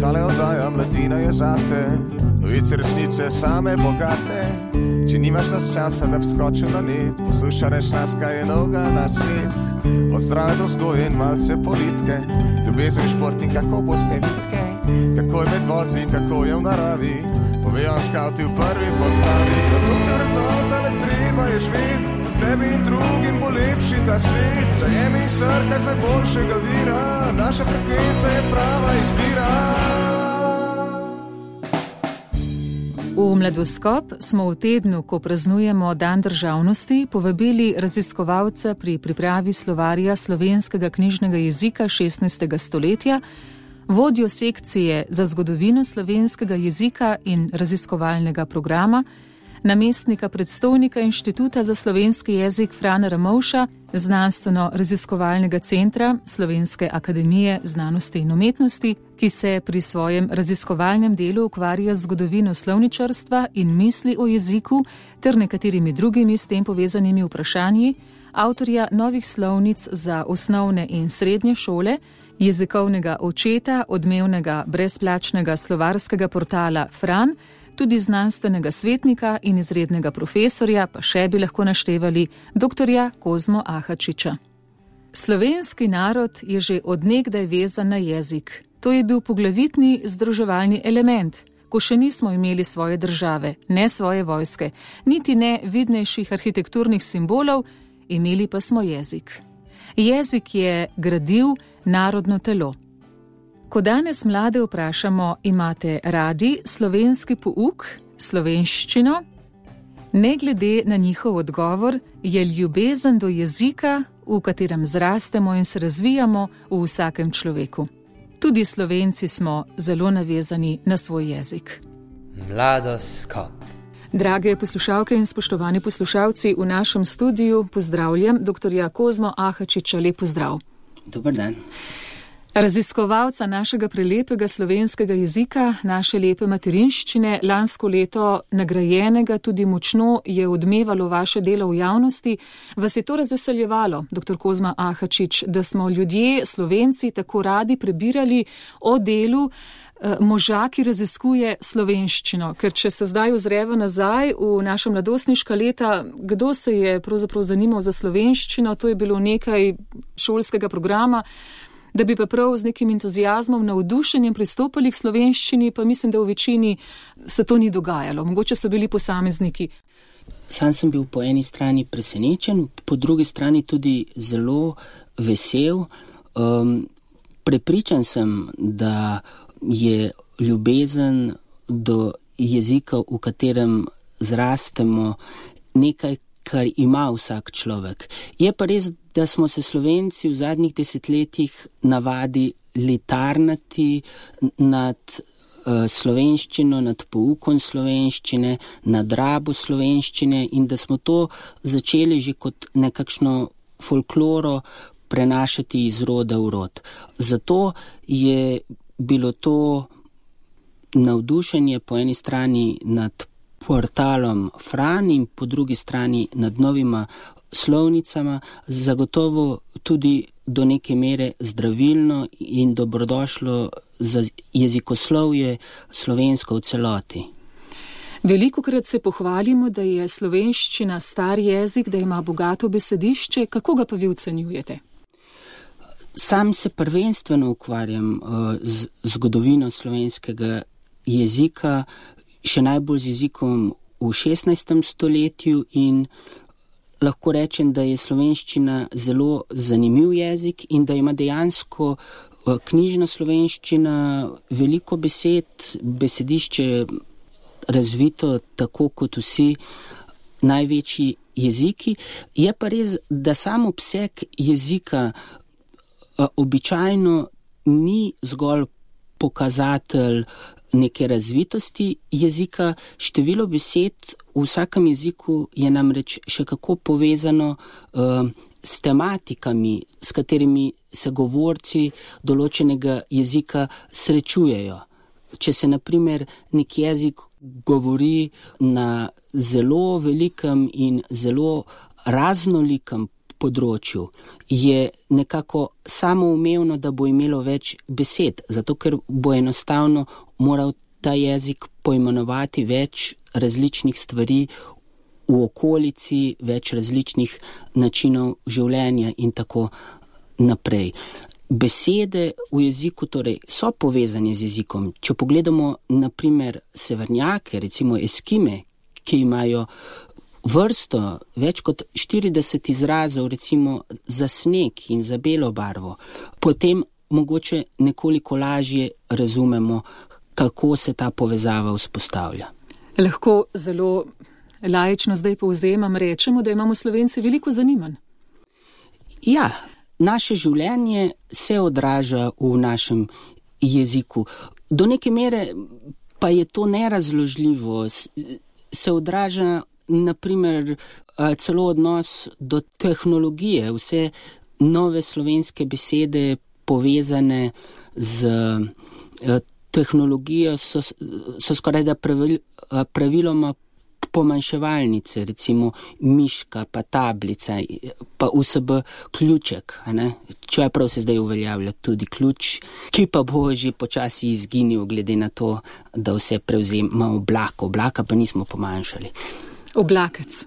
Tale oddaja Mladina je zate, novice resnice same bogate. Če nimaš nas časa, da bi skočil na net, poslušaj nas, kaj je novega na svet. Od zdrave do vzgoje in malce politike, ljubezen, šport in kako boste vitke, kako je med vozi, kako je v naravi, povejo skavti v prvi postavi. Kako ste vrednotali, treba je živeti, tebi in drugim bo lepši ta svet. Zajemi srka z najboljšega vira, naša frekvenca je prava izbira. V Mladoskop smo v tednu, ko praznujemo Dan državnosti, povabili raziskovalca pri pripravi slovarja slovenskega knjižnega jezika 16. stoletja, vodjo sekcije za zgodovino slovenskega jezika in raziskovalnega programa, namestnika predstojnika Inštituta za slovenski jezik Frana Ramovša, znanstveno-raziskovalnega centra Slovenske akademije znanosti in umetnosti, ki se pri svojem raziskovalnem delu ukvarja z zgodovino slovničarstva in misli o jeziku ter nekaterimi drugimi s tem povezanimi vprašanji, avtorja novih slovnic za osnovne in srednje šole, jezikovnega očeta odmevnega brezplačnega slovarskega portala Fran, tudi znanstvenega svetnika in izrednega profesorja, pa še bi lahko naštevali doktorja Kozmo Ahačiča. Slovenski narod je že od nekdaj vezan na jezik. To je bil poglavitni združevalni element, ko še nismo imeli svoje države, ne svoje vojske, niti ne vidnejših arhitekturnih simbolov, imeli pa smo jezik. Jezik je gradil narodno telo. Ko danes mlade vprašamo, imate radi slovenski pouk, slovenščino? Ne glede na njihov odgovor, je ljubezen do jezika, v katerem zrastemo in se razvijamo, v vsakem človeku. Tudi Slovenci smo zelo navezani na svoj jezik. Mladoskop. Drage poslušalke in spoštovani poslušalci, v našem studiu pozdravljam doktorja Kozmo Ahačiča. Lep pozdrav. Dober dan. Raziskovalca našega prelepega slovenskega jezika, naše lepe materinščine, lansko leto nagrajenega, tudi močno je odmevalo vaše delo v javnosti. Vas je to razveseljevalo, dr. Kozma Ahačič, da smo ljudje, Slovenci, tako radi prebirali o delu moža, ki raziskuje slovenščino? Ker če se zdaj ozreva nazaj v naša mladostniška leta, kdo se je pravzaprav zanimal za slovenščino, to je bilo nekaj šolskega programa, da bi pa prav z nekim entuziazmom, navdušenjem pristopali k slovenščini, pa mislim, da v večini se to ni dogajalo. Mogoče so bili posamezniki. Sam sem bil po eni strani presenečen, po drugi strani tudi zelo vesel. Prepričan sem, da je ljubezen do jezika, v katerem zrastemo, nekaj, kar ima vsak človek. Je pa res, da smo se Slovenci v zadnjih desetletjih navadili tarnati nad slovenščino, nad poukom slovenščine, nad rabo slovenščine in da smo to začeli že kot nekakšno folkloro prenašati iz roda v rod. Zato je bilo to navdušenje po eni strani nad portalom Fran in po drugi strani nad novima slovnicama zagotovo tudi do neke mere zdravilno in dobrodošlo za jezikoslovje slovensko v celoti. Velikokrat se pohvalimo, da je slovenščina star jezik, da ima bogato besedišče. Kako ga pa vi ocenjujete? Sam se prvenstveno ukvarjam z zgodovino slovenskega jezika, še najbolj z jezikom v 16. stoletju in lahko rečem, da je slovenščina zelo zanimiv jezik in da ima dejansko knjižna slovenščina veliko besed, besedišče razvito tako kot vsi največji jeziki. Je pa res, da sam obseg jezika običajno ni zgolj pokazatelj neke razvitosti jezika. Število besed v vsakem jeziku je namreč še kako povezano s tematikami, s katerimi se govorci določenega jezika srečujejo. če se naprimer nek jezik govori na zelo velikem in zelo raznolikem področju, je nekako samoumevno, da bo imelo več besed, zato ker bo enostavno moral ta jezik poimenovati več različnih stvari v okolici, več različnih načinov življenja in tako naprej. Besede v jeziku torej so povezane z jezikom. Če pogledamo naprimer severnjake, recimo Eskime, ki imajo vrsto, več kot 40 izrazov, recimo za sneg in za belo barvo, potem mogoče nekoliko lažje razumemo, kako se ta povezava vzpostavlja. Lahko zelo laično zdaj povzemam, rečemo, da imamo Slovenci veliko zanimanj. Ja, naše življenje se odraža v našem jeziku. Do neke mere pa je to nerazložljivo. Se odraža naprimer celo odnos do tehnologije, vse nove slovenske besede povezane z tehnologijo so skoraj da praviloma pomanjševalnice, recimo miška, pa tablica, pa USB ključek, čeprav se zdaj uveljavlja tudi ključ, ki pa bo že počasi izginil glede na to, da vse prevzema oblaka pa nismo pomanjšali. Oblakec.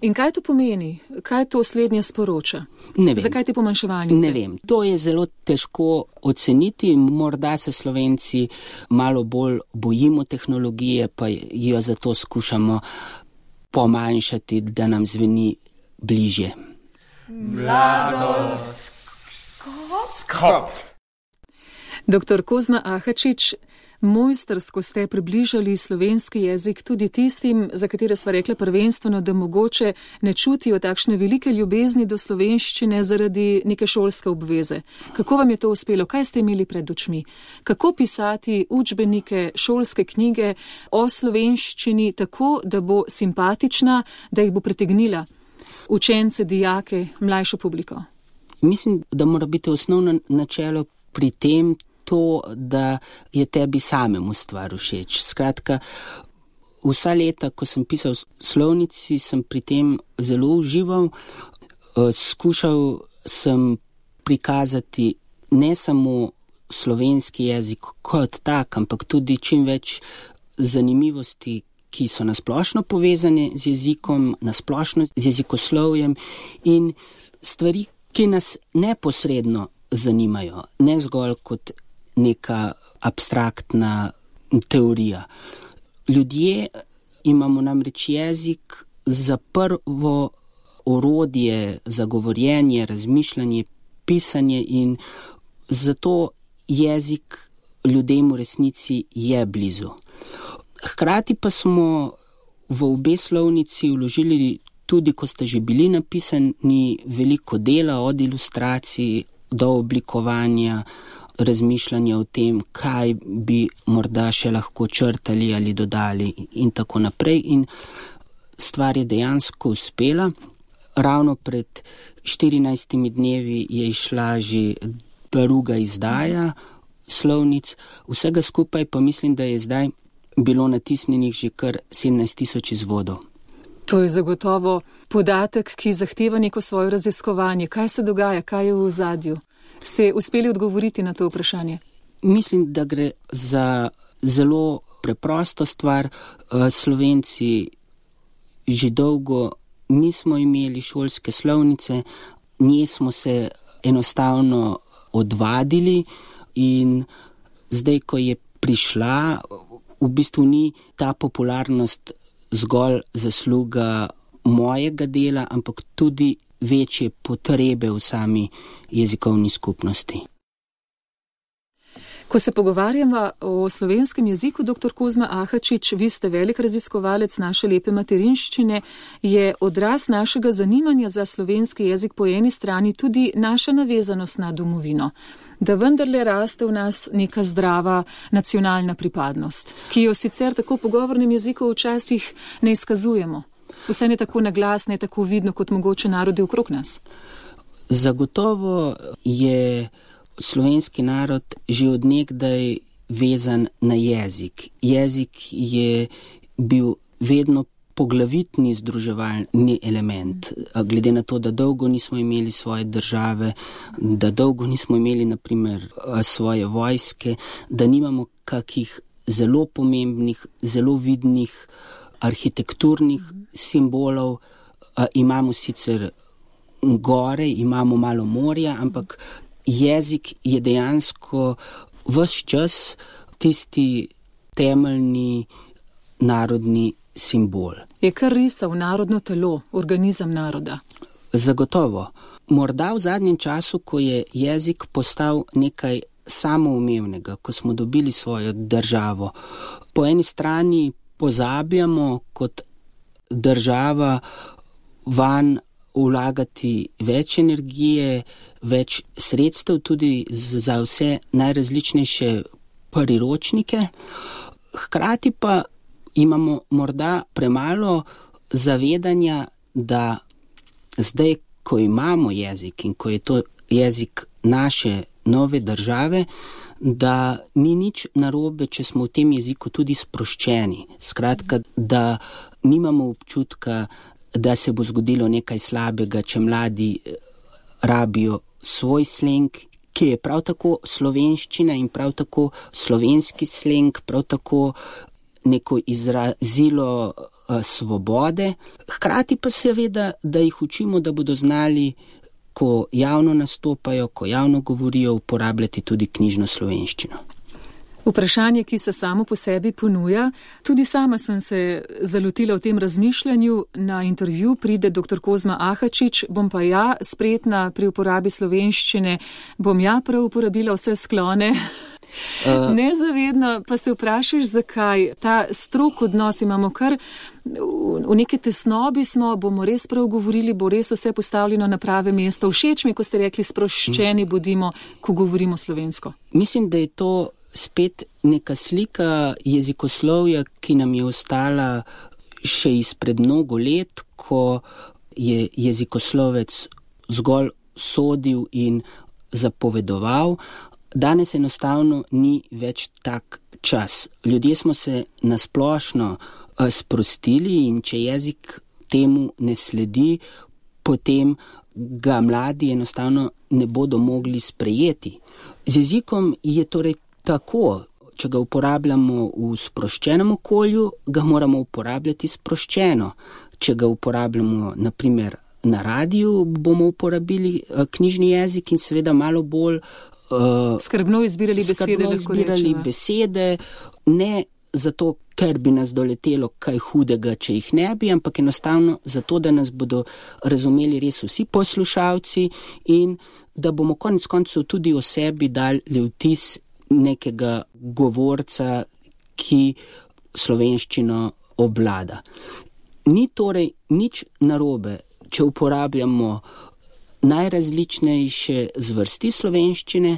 In kaj to pomeni? Kaj to slednje sporoča? Ne vem. Zakaj te pomanjševalnice? Ne vem. To je zelo težko oceniti. Morda se Slovenci malo bolj bojimo tehnologije, pa jo zato skušamo pomanjšati, da nam zveni bližje. Mladoskop. Dr. Kozma Ahačič, mojstrsko ste približali slovenski jezik tudi tistim, za katere sva rekla prvenstveno, da mogoče ne čutijo takšne velike ljubezni do slovenščine zaradi neke šolske obveze. Kako vam je to uspelo? Kaj ste imeli pred očmi? Kako pisati učbenike, šolske knjige o slovenščini tako, da bo simpatična, da jih bo pritegnila učence, dijake, mlajšo publiko? Mislim, da mora biti osnovno načelo pri tem to, da je tebi samemu stvar všeč. Skratka, vsa leta, ko sem pisal slovnici, sem pri tem zelo užival. Skušal sem prikazati ne samo slovenski jezik kot tak, ampak tudi čim več zanimivosti, ki so nasplošno povezane z jezikom, nasplošno z jezikoslovjem in stvari, ki nas neposredno zanimajo, ne zgolj kot neka abstraktna teorija. Ljudje imamo namreč jezik za prvo orodje za govorjenje, razmišljanje, pisanje in zato jezik ljudem v resnici je blizu. Hkrati pa smo v obe slovnici vložili tudi, ko ste že bili napisani, veliko dela od ilustracij do oblikovanja, razmišljanja o tem, kaj bi morda še lahko črtali ali dodali in tako naprej. In stvar je dejansko uspela. Ravno pred 14 dnevi je išla že druga izdaja slovnic. Vsega skupaj pa mislim, da je zdaj bilo natisnjenih že kar 17,000 izvodov. To je zagotovo podatek, ki zahteva neko svoje raziskovanje. Kaj se dogaja, kaj je v ozadju? Ste uspeli odgovoriti na to vprašanje? Mislim, da gre za zelo preprosto stvar. Slovenci že dolgo nismo imeli šolske slovnice, nje smo se enostavno odvadili in zdaj, ko je prišla, v bistvu ni ta popularnost zgolj zasluga mojega dela, ampak tudi večje potrebe v sami jezikovni skupnosti. Ko se pogovarjamo o slovenskem jeziku, dr. Kozma Ahačič, vi ste velik raziskovalec naše lepe materinščine, je odraz našega zanimanja za slovenski jezik po eni strani tudi naša navezanost na domovino, da vendarle raste v nas neka zdrava nacionalna pripadnost, ki jo sicer tako v pogovornem jeziku včasih ne izkazujemo. Vse ne tako naglas, ne tako vidno kot mogoče narodi okrog nas. Zagotovo je slovenski narod že od nekdaj vezan na jezik. Jezik je bil vedno poglavitni združevalni element, glede na to, da dolgo nismo imeli svoje države, da dolgo nismo imeli, naprimer, svoje vojske, da nimamo kakih zelo pomembnih, zelo vidnih arhitekturnih simbolov. Imamo sicer gore, imamo malo morja, ampak jezik je dejansko ves čas tisti temeljni narodni simbol. Je kar risal narodno telo, organizem naroda? Zagotovo. Morda v zadnjem času, ko je jezik postal nekaj samoumevnega, ko smo dobili svojo državo, po eni strani pozabljamo kot država vanj vlagati več energije, več sredstev tudi za vse najrazličnejše priročnike, hkrati pa imamo morda premalo zavedanja, da zdaj, ko imamo jezik in ko je to jezik naše nove države, da ni nič narobe, če smo v tem jeziku tudi sproščeni. Skratka, da nimamo občutka, da se bo zgodilo nekaj slabega, če mladi rabijo svoj sleng, ki je prav tako slovenščina in prav tako slovenski sleng, prav tako neko izrazilo svobode. Hkrati pa seveda, da jih učimo, da bodo znali, ko javno nastopajo, ko javno govorijo, uporabljati tudi knjižno slovenščino. Vprašanje, ki se samo po sebi ponuja. Tudi sama sem se zalotila v tem razmišljanju. Na intervju pride dr. Kozma Ahačič, bom pa ja spretna pri uporabi slovenščine, bom ja prav uporabila vse sklone. Nezavedno pa se vprašaš, zakaj ta strog odnos imamo, kar v neki tesnobi smo, bomo res prav govorili, bo res vse postavljeno na prave mesto. Všeč mi, ko ste rekli, sproščeni bodimo, ko govorimo slovensko. Mislim, da je to spet neka slika jezikoslovja, ki nam je ostala še izpred mnogo let, ko je jezikoslovec zgolj sodil in zapovedoval. Danes enostavno ni več tak čas. Ljudje smo se nasplošno sprostili in če jezik temu ne sledi, potem ga mladi enostavno ne bodo mogli sprejeti. Z jezikom je torej tako, če ga uporabljamo v sproščenem okolju, ga moramo uporabljati sproščeno. Če ga uporabljamo, naprimer, na radiju, bomo uporabili knjižni jezik in seveda malo bolj skrbno izbirali besede, ne zato, ker bi nas doletelo kaj hudega, če jih ne bi, ampak enostavno zato, da nas bodo razumeli res vsi poslušalci in da bomo konec koncev tudi o sebi dali vtis nekega govorca, ki slovenščino obvlada. Ni torej nič narobe, če uporabljamo najrazličnejše zvrsti slovenščine,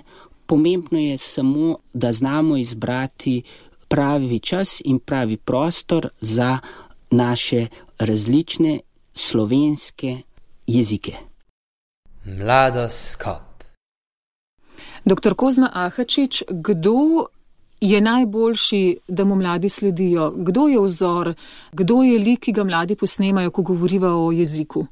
pomembno je samo, da znamo izbrati pravi čas in pravi prostor za naše različne slovenske jezike. Mladoskop. Dr. Kozma Ahačič, kdo je najboljši, da mu mladi sledijo? Kdo je vzor? Kdo je lik, ki ga mladi posnemajo, ko govoriva o jeziku?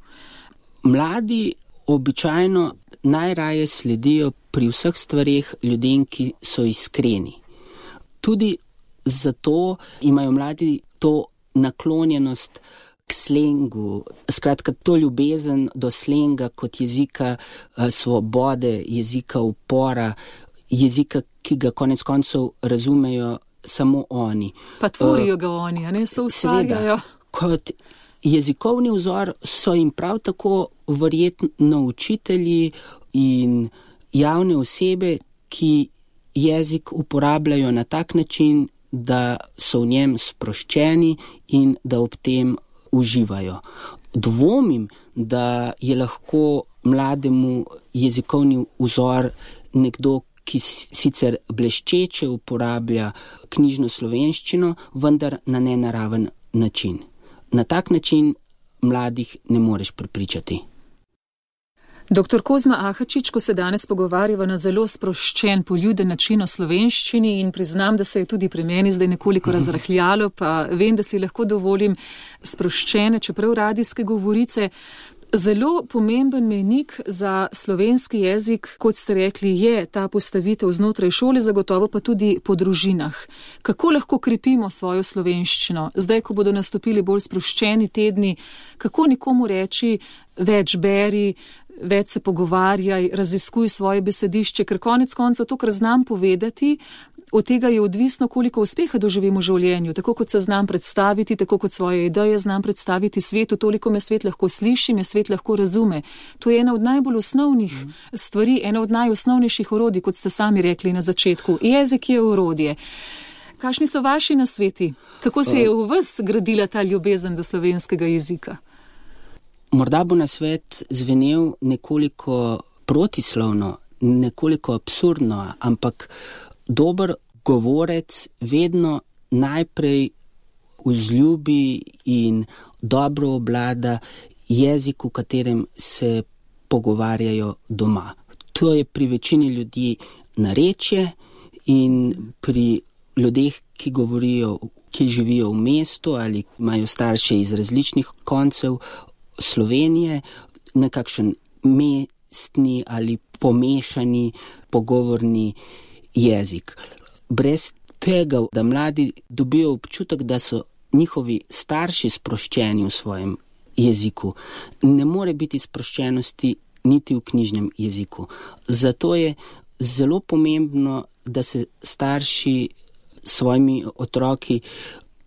Mladi običajno najraje sledijo pri vseh stvareh ljudem, ki so iskreni. Tudi zato imajo mladi to naklonjenost k slengu, skratka to ljubezen do slenga kot jezika svobode, jezika upora, jezika, ki ga konec koncev razumejo samo oni. Pa tvorijo ga oni, a ne, se ustvarjajo. Kot jezikovni vzor so jim prav tako verjetno učitelji in javne osebe, ki jezik uporabljajo na tak način, da so v njem sproščeni in da ob tem uživajo. Dvomim, da je lahko mlademu jezikovni vzor nekdo, ki sicer bleščeče uporablja knjižno slovenščino, vendar na nenaraven način. Na tak način mladih ne moreš prepričati. Dr. Kozma Ahačič, ko se danes pogovarjava na zelo sproščen, poljuden način o slovenščini in priznam, da se je tudi pri meni zdaj nekoliko razrahljalo, pa vem, da si lahko dovolim sproščene, čeprav radijske govorice. Zelo pomemben mejnik za slovenski jezik, kot ste rekli, je ta postavitev znotraj šole, zagotovo pa tudi po družinah. Kako lahko krepimo svojo slovenščino? Zdaj, ko bodo nastopili bolj sproščeni tedni, kako nikomu reči, več beri, več se pogovarjaj, raziskuj svoje besedišče, ker konec koncev to, kar znam povedati, od tega je odvisno, koliko uspeha doživim v življenju. Tako kot se znam predstaviti, tako kot svoje ideje znam predstaviti svetu, toliko me svet lahko sliši, me svet lahko razume. To je ena od najbolj osnovnih stvari, ena od najosnovnejših orodij, kot ste sami rekli na začetku. Jezik je orodje. Kakšni so vaši nasveti? Kako se je v vas gradila ta ljubezen do slovenskega jezika? Morda bo nasvet zvenel nekoliko protislovno, nekoliko absurdno, ampak dober govorec vedno najprej vzljubi in dobro obvlada jezik, v katerem se pogovarjajo doma. To je pri večini ljudi narečje in pri ljudeh, ki živijo v mestu ali imajo starše iz različnih koncev Slovenije, nekakšen mestni ali pomešani pogovorni jezik. Brez tega, da mladi dobijo občutek, da so njihovi starši sproščeni v svojem jeziku, ne more biti sproščenosti niti v knjižnem jeziku. Zato je zelo pomembno, da se starši s svojimi otroki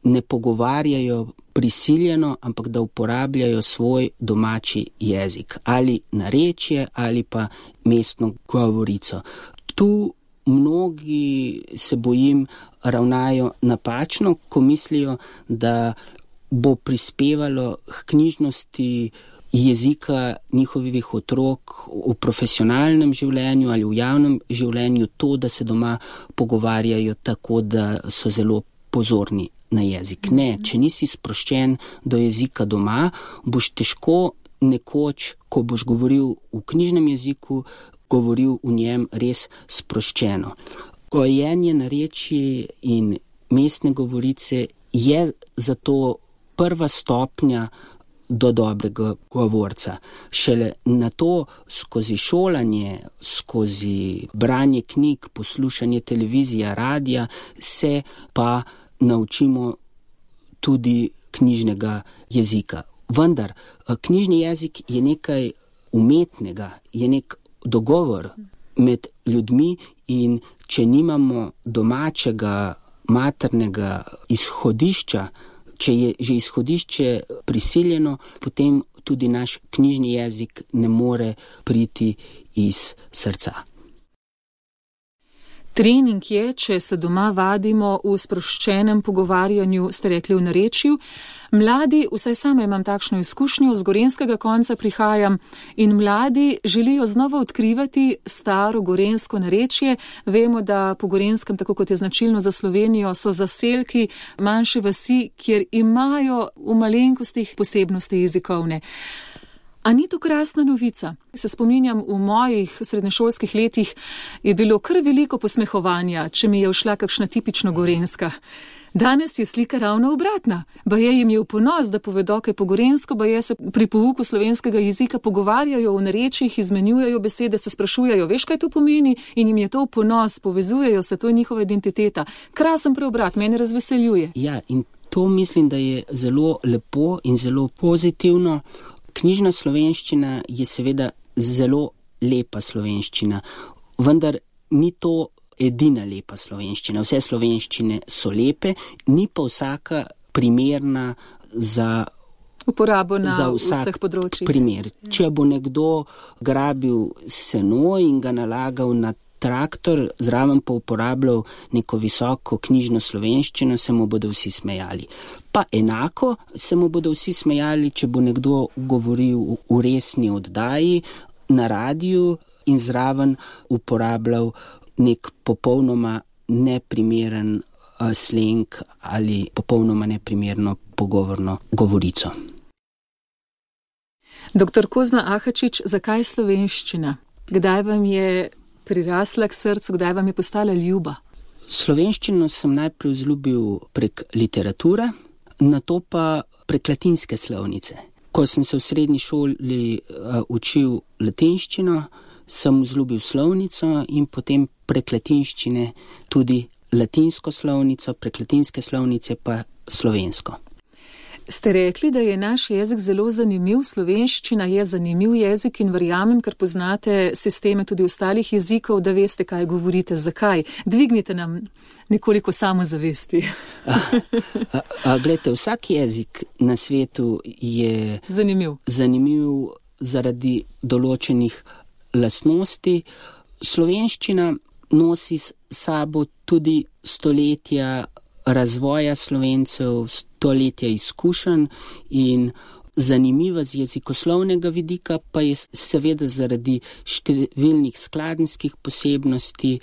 ne pogovarjajo prisiljeno, ampak da uporabljajo svoj domači jezik, ali narečje, ali pa mestno govorico. Tu mnogi, se bojim, ravnajo napačno, ko mislijo, da bo prispevalo k knjižnosti jezika njihovih otrok v profesionalnem življenju ali v javnem življenju to, da se doma pogovarjajo tako, da so zelo pozorni na jezik. Ne, če nisi sproščen do jezika doma, boš težko nekoč, ko boš govoril v knjižnem jeziku, govoril v njem res sproščeno. Gojenje narečij in mestne govorice je zato prva stopnja do dobrega govorca. Šele na to skozi šolanje, skozi branje knjig, poslušanje televizije, radija, se pa naučimo tudi knjižnega jezika. Vendar, knjižni jezik je nekaj umetnega, je nek dogovor med ljudmi in če nimamo domačega, maternega izhodišča, če je že izhodišče prisiljeno, potem tudi naš knjižni jezik ne more priti iz srca. Trening je, če se doma vadimo v sproščenem pogovarjanju, ste rekli v narečju. Mladi, vsaj sama imam takšno izkušnjo, z gorenjskega konca prihajam in mladi želijo znova odkrivati staro gorenjsko narečje. Vemo, da po Gorenskem, tako kot je značilno za Slovenijo, so zaselki, manjše vasi, kjer imajo v malenkostih posebnosti jezikovne. A ni to krasna novica? Se spominjam, v mojih srednješolskih letih je bilo kar veliko posmehovanja, če mi je všla kakšna tipično gorenjska. Danes je slika ravno obratna. Baje jim je v ponos, da povedo kaj po gorenjsko, baje se pri pouku slovenskega jezika pogovarjajo v narečjih, izmenjujejo besede, se sprašujejo, veš, kaj to pomeni, in jim je to v ponos, povezujejo se, to je njihova identiteta. Krasen preobrat, mene razveseljuje. Ja, in to mislim, da je zelo lepo in zelo pozitivno. Knjižna slovenščina je seveda zelo lepa slovenščina, vendar ni to edina lepa slovenščina. Vse slovenščine so lepe, ni pa vsaka primerna za uporabo na vseh področjih. Primer. Če bo nekdo grabil seno in ga nalagal na traktor, zraven pa uporabljal neko visoko knjižno slovenščino, se mu bodo vsi smejali. Pa enako se mu bodo vsi smejali, če bo nekdo govoril v resni oddaji na radiju in zraven uporabljal nek popolnoma neprimeren sleng ali popolnoma neprimerno pogovorno govorico. Dr. Kozma Ahačič, zakaj slovenščina? Kdaj vam je prirasla k srcu, kdaj vam je postala ljuba? Slovenščino sem najprej vzljubil prek literature, nato pa prek latinske slovnice. Ko sem se v srednji šoli učil latinščino, sem vzljubil slovnico in potem prek latinščine tudi latinsko slovnico, prek latinske slovnice pa slovensko. Ste rekli, da je naš jezik zelo zanimiv, slovenščina je zanimiv jezik in verjamem, ker poznate sisteme tudi ostalih jezikov, da veste, kaj govorite, zakaj. Dvignite nam nekoliko samozavesti. Glejte, vsak jezik na svetu je zanimiv zaradi določenih lastnosti. Slovenščina nosi s sabo tudi stoletja razvoja Slovencev, stoletja izkušenj in zanimiva z jezikoslovnega vidika pa je seveda zaradi številnih skladenjskih posebnosti,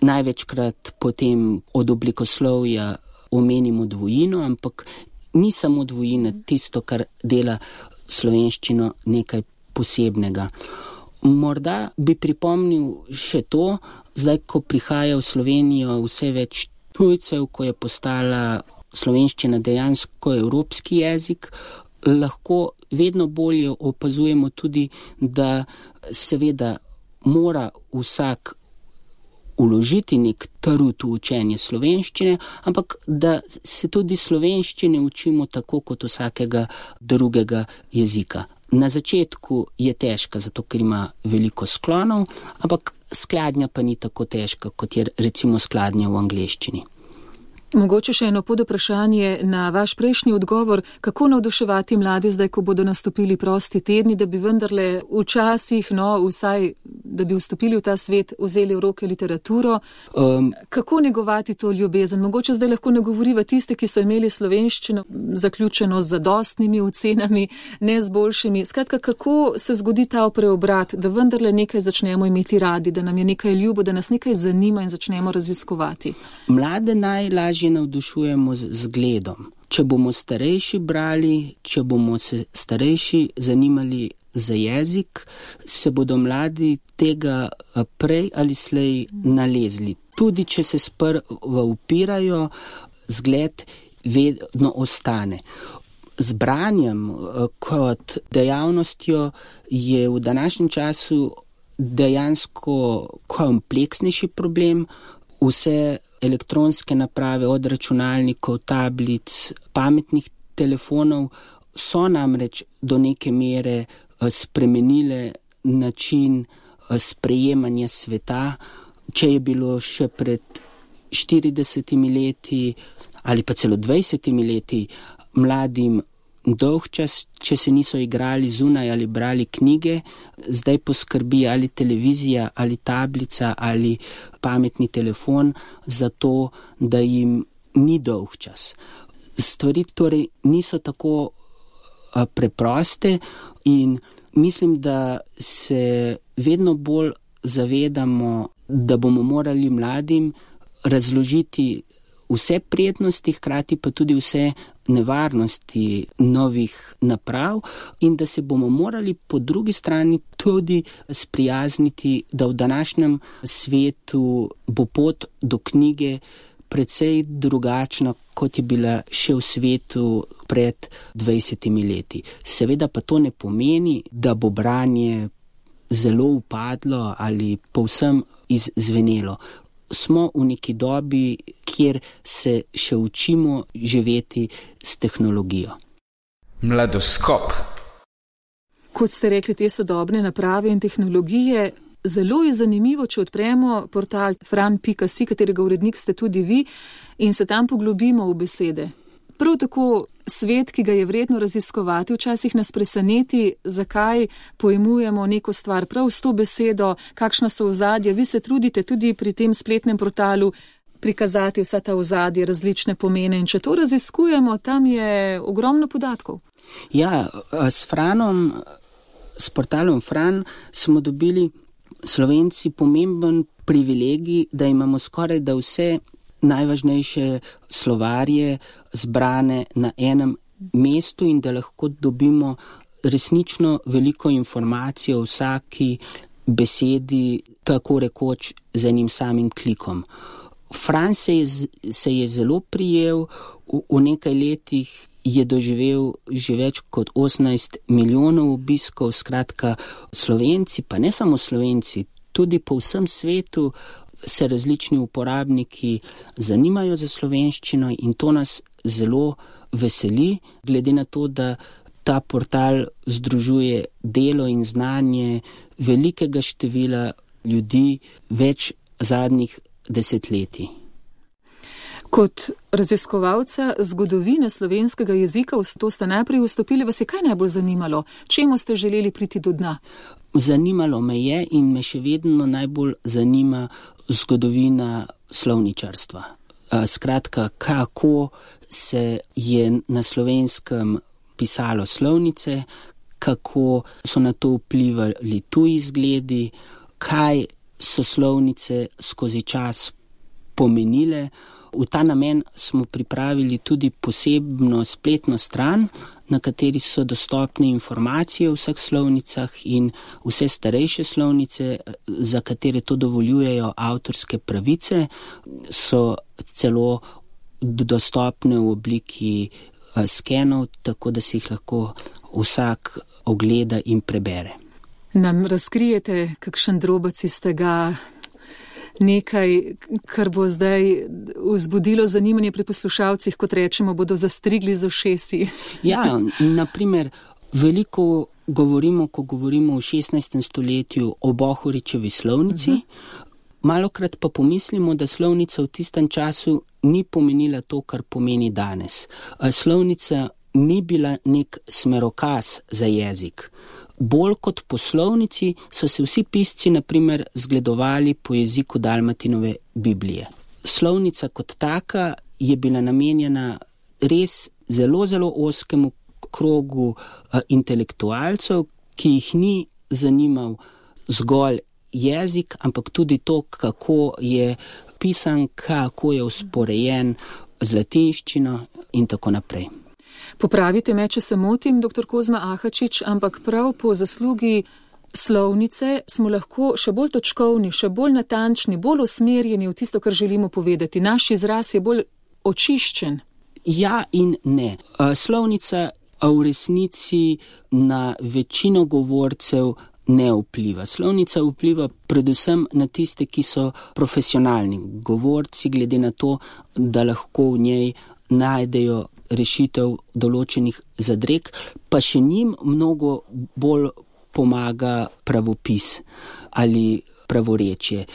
največkrat potem od oblikoslovja omenimo dvojino, ampak ni samo dvojina tisto, kar dela slovenščino nekaj posebnega. Morda bi pripomnil še to, zdaj, ko prihaja v Slovenijo vse več tujcev, ko je postala slovenščina dejansko evropski jezik, lahko vedno bolje opazujemo tudi, da seveda mora vsak vložiti nek trud v učenje slovenščine, ampak da se tudi slovenščine učimo tako kot vsakega drugega jezika. Na začetku je težka, zato ker ima veliko sklonov, ampak skladnja pa ni tako težka, kot je recimo skladnja v angleščini. Mogoče še eno podvprašanje na vaš prejšnji odgovor, kako navduševati mlade zdaj, ko bodo nastopili prosti tedni, da bi vendarle včasih, vsaj, da bi vstopili v ta svet, vzeli v roke literaturo. Kako negovati to ljubezen? Mogoče zdaj lahko nagovoriva tiste, ki so imeli slovenščino zaključeno z zadostnimi ocenami, ne z boljšimi. Skratka, kako se zgodi ta preobrat, da vendarle nekaj začnemo imeti radi, da nam je nekaj ljubo, da nas nekaj zanima in začnemo raziskovati? Mlade najlažje navdušujemo z zgledom. Če bomo starejši brali, če bomo se starejši zanimali za jezik, se bodo mladi tega prej ali slej nalezli. Tudi če se sprva upirajo, zgled vedno ostane. Z branjem kot dejavnostjo je v današnjem času dejansko kompleksnejši problem. Vse elektronske naprave od računalnikov, tablic, pametnih telefonov so namreč do neke mere spremenile način sprejemanja sveta. Če je bilo še pred 40 leti ali pa celo 20 leti mladim dolg čas, če se niso igrali zunaj ali brali knjige, zdaj poskrbi ali televizija, ali tablica, ali pametni telefon za to, da jim ni dolg čas. Stvari torej niso tako preproste in mislim, da se vedno bolj zavedamo, da bomo morali mladim razložiti vse prednosti, hkrati pa tudi vse nevarnosti novih naprav in da se bomo morali po drugi strani tudi sprijazniti, da v današnjem svetu bo pot do knjige precej drugačna, kot je bila še v svetu pred 20 leti. Seveda pa to ne pomeni, da bo branje zelo upadlo ali povsem izzvenelo. Smo v neki dobi, kjer se še učimo živeti s tehnologijo. Mladoskop. Kot ste rekli, te sodobne naprave in tehnologije, zelo je zanimivo, če odpremo portal fran.si, katerega urednik ste tudi vi, in se tam poglobimo v besede. Prav tako svet, ki ga je vredno raziskovati, včasih nas preseneti, zakaj pojmujemo neko stvar prav s to besedo, kakšna so ozadja. Vi se trudite tudi pri tem spletnem portalu prikazati vsa ta ozadja, različne pomene in če to raziskujemo, tam je ogromno podatkov. Ja, s Franom, s portalom Fran smo dobili Slovenci pomemben privilegij, da imamo skoraj da vse najvažnejše slovarje zbrane na enem mestu in da lahko dobimo resnično veliko informacij o vsaki besedi, tako rekoč z enim samim klikom. Franc se je zelo prijel, v nekaj letih je doživel že več kot 18 milijonov obiskov, skratka Slovenci, pa ne samo Slovenci, tudi po vsem svetu se različni uporabniki zanimajo za slovenščino in to nas zelo veseli, glede na to, da ta portal združuje delo in znanje velikega števila ljudi več zadnjih desetletij. Kot raziskovalca zgodovine slovenskega jezika, to ste najprej vstopili, vas je kaj najbolj zanimalo? Čemu ste želeli priti do dna? Zanimalo me je in me še vedno najbolj zanima zgodovina slovničarstva. Skratka, kako se je na Slovenskem pisalo slovnice, kako so na to vplivali tuji izgledi, kaj so slovnice skozi čas pomenile. V ta namen smo pripravili tudi posebno spletno stran, na kateri so dostopne informacije o vseh slovnicah in vse starejše slovnice, za katere to dovoljujejo avtorske pravice, so celo dostopne v obliki skenov, tako da si jih lahko vsak ogleda in prebere. Nam razkrijete kakšen drobec iz tega, nekaj, kar bo zdaj vzbudilo zanimanje pri poslušalcih, kot rečemo, bodo zastrigli z ušesi? Ja, naprimer, veliko govorimo, ko govorimo v 16. stoletju o Bohoričevi slovnici, malokrat pa pomislimo, da slovnica v tistem času ni pomenila to, kar pomeni danes. Slovnica ni bila nek smerokaz za jezik. Bolj kot po slovnici so se vsi pisci, naprimer, zgledovali po jeziku Dalmatinove Biblije. Slovnica kot taka je bila namenjena res zelo, zelo ozkemu krogu intelektualcev, ki jih ni zanimal zgolj jezik, ampak tudi to, kako je pisan, kako je usporejen z latinščino in tako naprej. Popravite me, če se motim, dr. Kozma Ahačič, ampak prav po zaslugi slovnice smo lahko še bolj točkovni, še bolj natančni, bolj usmerjeni v tisto, kar želimo povedati. Naš izraz je bolj očiščen. Ja in ne. Slovnica v resnici na večino govorcev ne vpliva. Slovnica vpliva predvsem na tiste, ki so profesionalni govorci, glede na to, da lahko v njej najdejo rešitev določenih zadreg, pa še njim mnogo bolj pomaga pravopis ali pravorečje.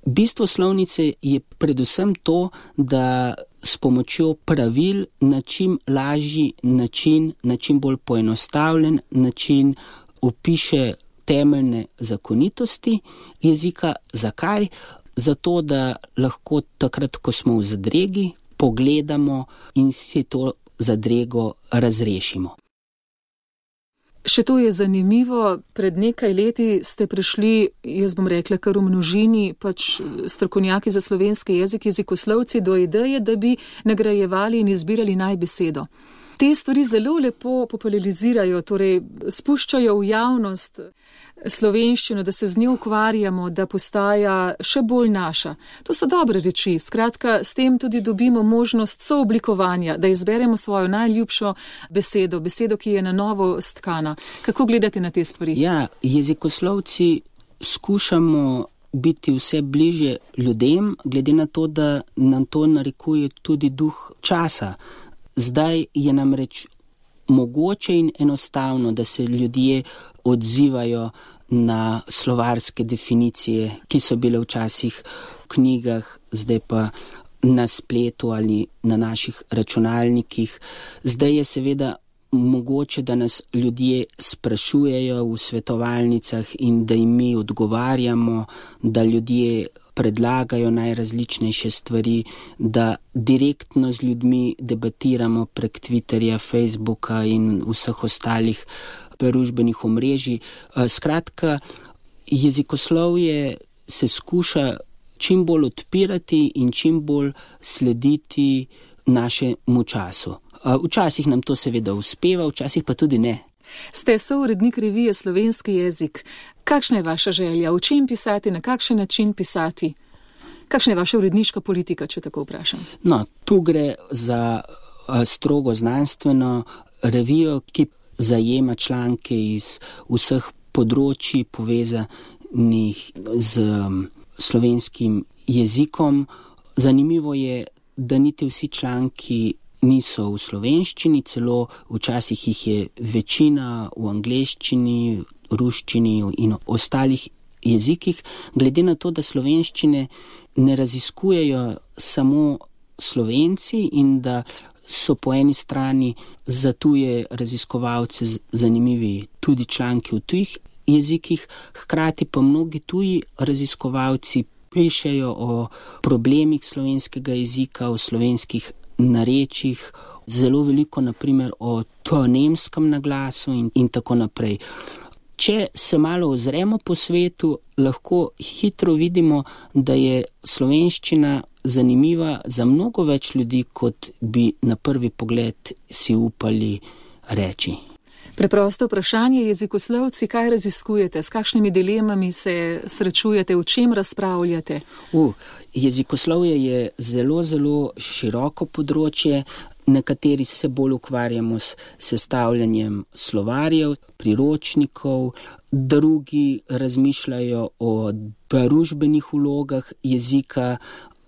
Bistvo slovnice je predvsem to, da s pomočjo pravil na čim lažji način, na čim bolj poenostavljen način opiše temeljne zakonitosti jezika. Zakaj? Zato, da lahko takrat, ko smo v zadregi, pogledamo in si to zadrego razrešimo. Še to je zanimivo. Pred nekaj leti ste prišli, jaz bom rekla, kar v množini, strokovnjaki za slovenski jezik, jezikoslovci, do ideje, da bi nagrajevali in izbirali najbesedo. Te stvari zelo lepo popularizirajo, torej spuščajo v javnost slovenščino, da se z njo ukvarjamo, da postaja še bolj naša. To so dobre reči. Skratka, s tem tudi dobimo možnost sooblikovanja, da izberemo svojo najljubšo besedo, ki je na novo stkana. Kako gledate na te stvari? Ja, jezikoslovci skušamo biti vse bliže ljudem, glede na to, da nam to narekuje tudi duh časa. Zdaj je namreč mogoče in enostavno, da se ljudje odzivajo na slovarske definicije, ki so bile včasih v knjigah, zdaj pa na spletu ali na naših računalnikih. Zdaj je seveda mogoče, da nas ljudje sprašujejo v svetovalnicah in da jim mi odgovarjamo, da ljudje predlagajo najrazličnejše stvari, da direktno z ljudmi debatiramo prek Twitterja, Facebooka in vseh ostalih družbenih omrežij. Skratka, jezikoslovje se skuša čim bolj odpirati in čim bolj slediti našemu času. Včasih nam to seveda uspeva, včasih pa tudi ne. Ste sourednik revije Slovenski jezik. Kakšna je vaša želja? V čem pisati, na kakšen način pisati? Kakšna je vaša uredniška politika, če tako vprašam? No, tu gre za strogo znanstveno revijo, ki zajema članke iz vseh področji povezanih z slovenskim jezikom. Zanimivo je, da niti vsi članki niso v slovenščini, celo včasih jih je večina v angleščini, ruščini in ostalih jezikih, glede na to, da slovenščine ne raziskujejo samo Slovenci in da so po eni strani za tuje raziskovalce zanimivi tudi članki v tujih jezikih, hkrati pa mnogi tuji raziskovalci pišejo o problemih slovenskega jezika, o slovenskih narečjih, zelo veliko naprimer o tonemskem naglasu in tako naprej. Če se malo ozremo po svetu, lahko hitro vidimo, da je slovenščina zanimiva za mnogo več ljudi, kot bi na prvi pogled si upali reči. Preprosto vprašanje, jezikoslovci, kaj raziskujete, s kakšnimi dilemami se srečujete, o čem razpravljate? Jezikoslovje je zelo, zelo široko področje. Nekateri se bolj ukvarjamo s sestavljanjem slovarjev, priročnikov, drugi razmišljajo o družbenih vlogah jezika,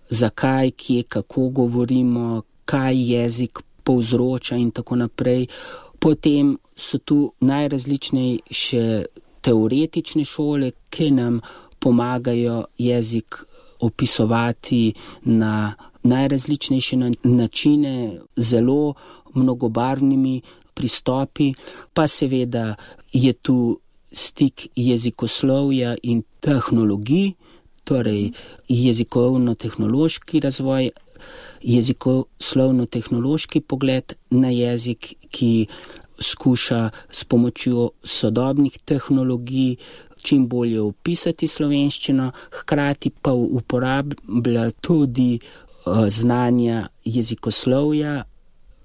zakaj, kje, kako govorimo, kaj jezik povzroča in tako naprej. Potem so tu najrazličnejše teoretične šole, ki nam pomagajo jezik opisovati na najrazličnejše načine, zelo mnogobarvnimi pristopi, pa seveda je tu stik jezikoslovja in tehnologij, torej jezikovno-tehnološki razvoj, jezikoslovno-tehnološki pogled na jezik, ki skuša s pomočjo sodobnih tehnologij čim bolje opisati slovenščino, hkrati pa uporablja tudi znanja jezikoslovja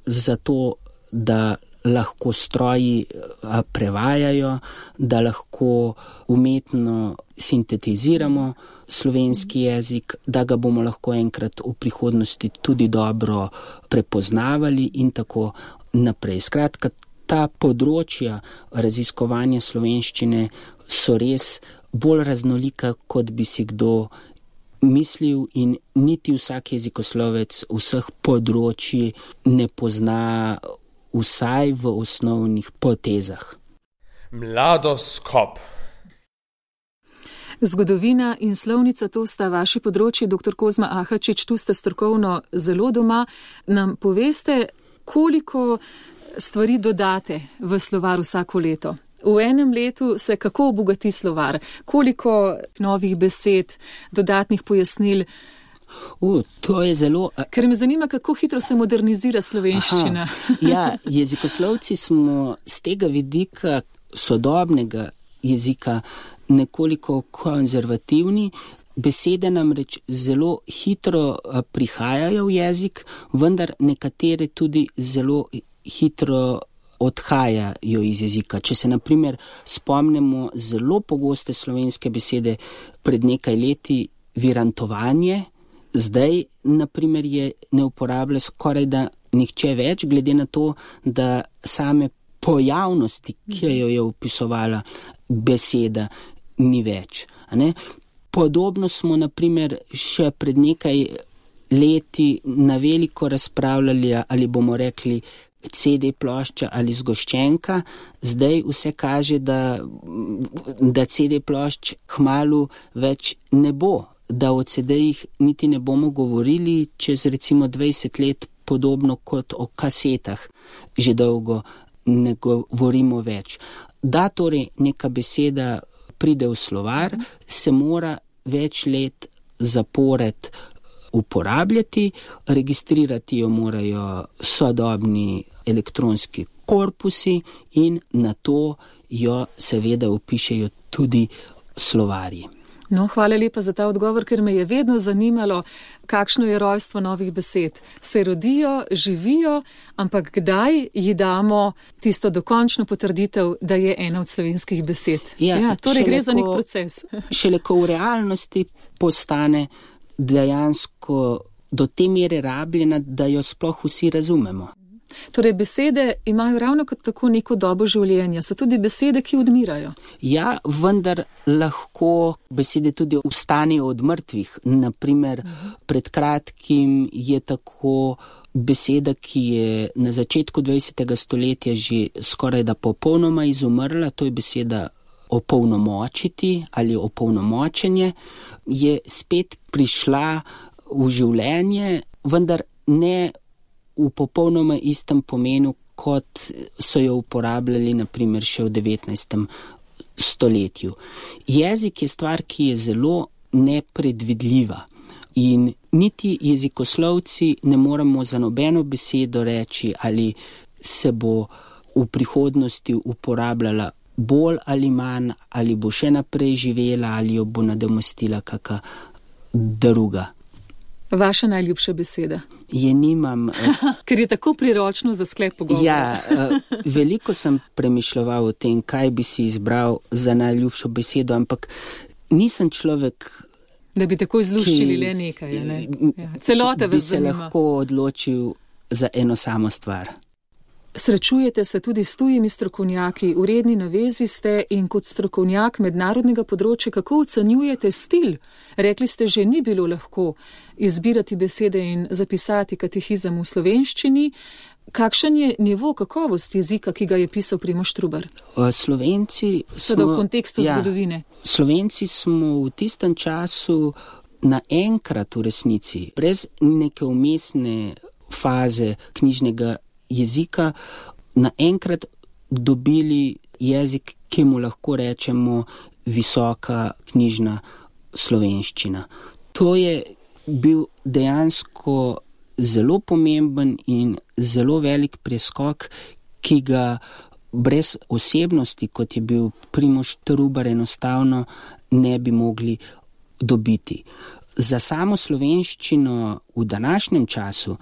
zato, da lahko stroji prevajajo, da lahko umetno sintetiziramo slovenski jezik, da ga bomo lahko enkrat v prihodnosti tudi dobro prepoznavali in tako naprej. Skratka, ta področja raziskovanja slovenščine so res bolj raznolika, kot bi si kdo mislil, in niti vsak jezikoslovec vseh področji ne pozna vsaj v osnovnih potezah. Mladoskop. Zgodovina in slovnica, to sta vaši področji, dr. Kozma Ahačič, tu ste strokovno zelo doma. Nam poveste, koliko stvari dodate v slovar vsako leto? V enem letu se kako obogati slovar? Koliko novih besed, dodatnih pojasnil? To je zelo... Ker me zanima, kako hitro se modernizira slovenščina. Jezikoslovci smo z tega vidika sodobnega jezika nekoliko konzervativni. Besede namreč zelo hitro prihajajo v jezik, vendar nekatere tudi zelo hitro odhajajo iz jezika. Če se na primer spomnimo zelo pogoste slovenske besede pred nekaj leti, virantovanje, zdaj na primer je ne uporablja skoraj da nihče več, glede na to, da same pojavnosti, ki jo je opisovala beseda, ni več. Podobno smo na primer še pred nekaj leti na veliko razpravljali, ali bomo rekli CD plošča ali zgoščenka. Zdaj vse kaže, da CD plošč kmalu več ne bo, da o CD-jih niti ne bomo govorili čez recimo 20 let, podobno kot o kasetah. Že dolgo ne govorimo več. Da torej neka beseda pride v slovar, se mora več let zapored uporabljati, registrirati jo morajo sodobni elektronski korpusi in na to jo seveda opišejo tudi slovarji. No, hvala lepa za ta odgovor, ker me je vedno zanimalo, kakšno je rojstvo novih besed. Se rodijo, živijo, ampak kdaj ji damo tisto dokončno potrditev, da je ena od slovenskih besed? Ja, torej gre za nek proces. Šele ko v realnosti postane dejansko do te mere rabljena, da jo sploh vsi razumemo. Torej, besede imajo ravno kot tako neko dobo življenja. So tudi besede, ki odmirajo. Ja, vendar lahko besede tudi vstanejo od mrtvih. Naprimer, pred kratkim je tako beseda, ki je na začetku 20. stoletja že skoraj da popolnoma izumrla, to je beseda opolnomočiti ali opolnomočenje, je spet prišla v življenje, vendar ne v popolnoma istem pomenu, kot so jo uporabljali naprimer še v 19. stoletju. Jezik je stvar, ki je zelo nepredvidljiva in niti jezikoslovci ne moremo za nobeno besedo reči, ali se bo v prihodnosti uporabljala bolj ali manj, ali bo še naprej živela, ali jo bo nadomestila kakšna druga. Vaša najljubša beseda? Je nimam. Ker je tako priročno za sklep pogovora. Ja, veliko sem premišljeval o tem, kaj bi si izbral za najljubšo besedo, ampak nisem človek, da bi tako izluščili le nekaj, ne? Ja. Celota vas zanima. Bi se lahko odločil za eno samo stvar. Srečujete se tudi s tujimi strokovnjaki, v redni navezi ste in kot strokovnjak mednarodnega področja, kako ocenjujete stil? Rekli ste, že ni bilo lahko izbirati besede in zapisati katehizem v slovenščini. Kakšen je nivo kakovosti jezika, ki ga je pisal Primož Trubar? Slovenci smo... v kontekstu zgodovine. Slovenci smo v tistem času naenkrat v resnici, brez neke umestne faze knjižnega jezika, naenkrat dobili jezik, ki mu lahko rečemo visoka knjižna slovenščina. To je bil dejansko zelo pomemben in zelo velik preskok, ki ga brez osebnosti, kot je bil Primož Trubar, enostavno ne bi mogli dobiti. Za samo slovenščino v današnjem času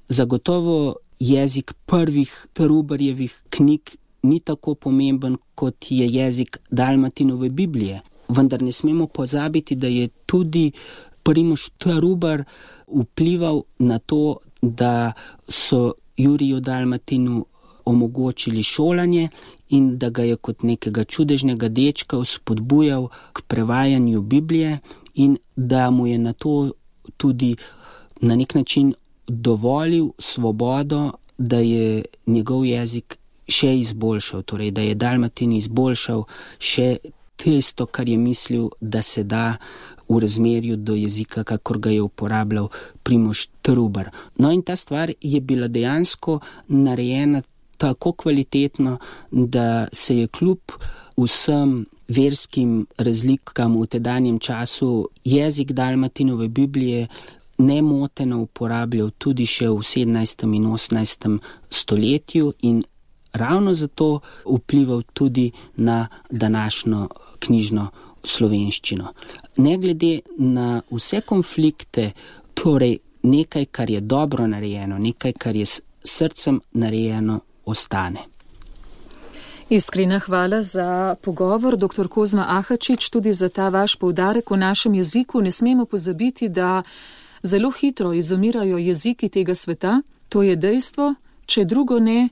zagotovo jezik prvih Trubarjevih knjig ni tako pomemben, kot je jezik Dalmatinove Biblije. Vendar ne smemo pozabiti, da je tudi Primož Trubar vplival na to, da so Juriju Dalmatinu omogočili šolanje in da ga je kot nekega čudežnega dečka spodbujal k prevajanju Biblije in da mu je na to tudi na nek način dovolil svobodo, da je njegov jezik še izboljšal, torej da je Dalmatin izboljšal še tisto, kar je mislil, da se da v razmerju do jezika, kakor ga je uporabljal Primož Trubar. No in ta stvar je bila dejansko narejena tako kvalitetno, da se je kljub vsem verskim razlikam v tedanjem času jezik Dalmatinove Biblije nemoteno uporabljal tudi še v 17. in 18. stoletju in ravno zato vplival tudi na današnjo knjižno slovenščino. Ne glede na vse konflikte, torej nekaj, kar je dobro narejeno, nekaj, kar je s srcem narejeno, ostane. Iskrena hvala za pogovor, dr. Kozma Ahačič, tudi za ta vaš poudarek v našem jeziku. Ne smemo pozabiti, da zelo hitro izumirajo jeziki tega sveta, to je dejstvo, če drugo ne,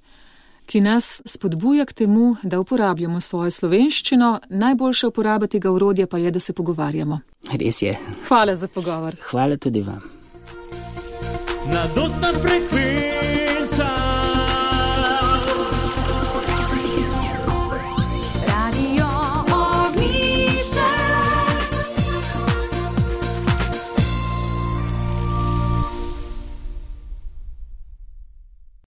ki nas spodbuja k temu, da uporabljamo svojo slovenščino. Najboljša uporaba tega orodja pa je, da se pogovarjamo. Res je. Hvala za pogovor. Hvala tudi vam. Na dostan frekvenci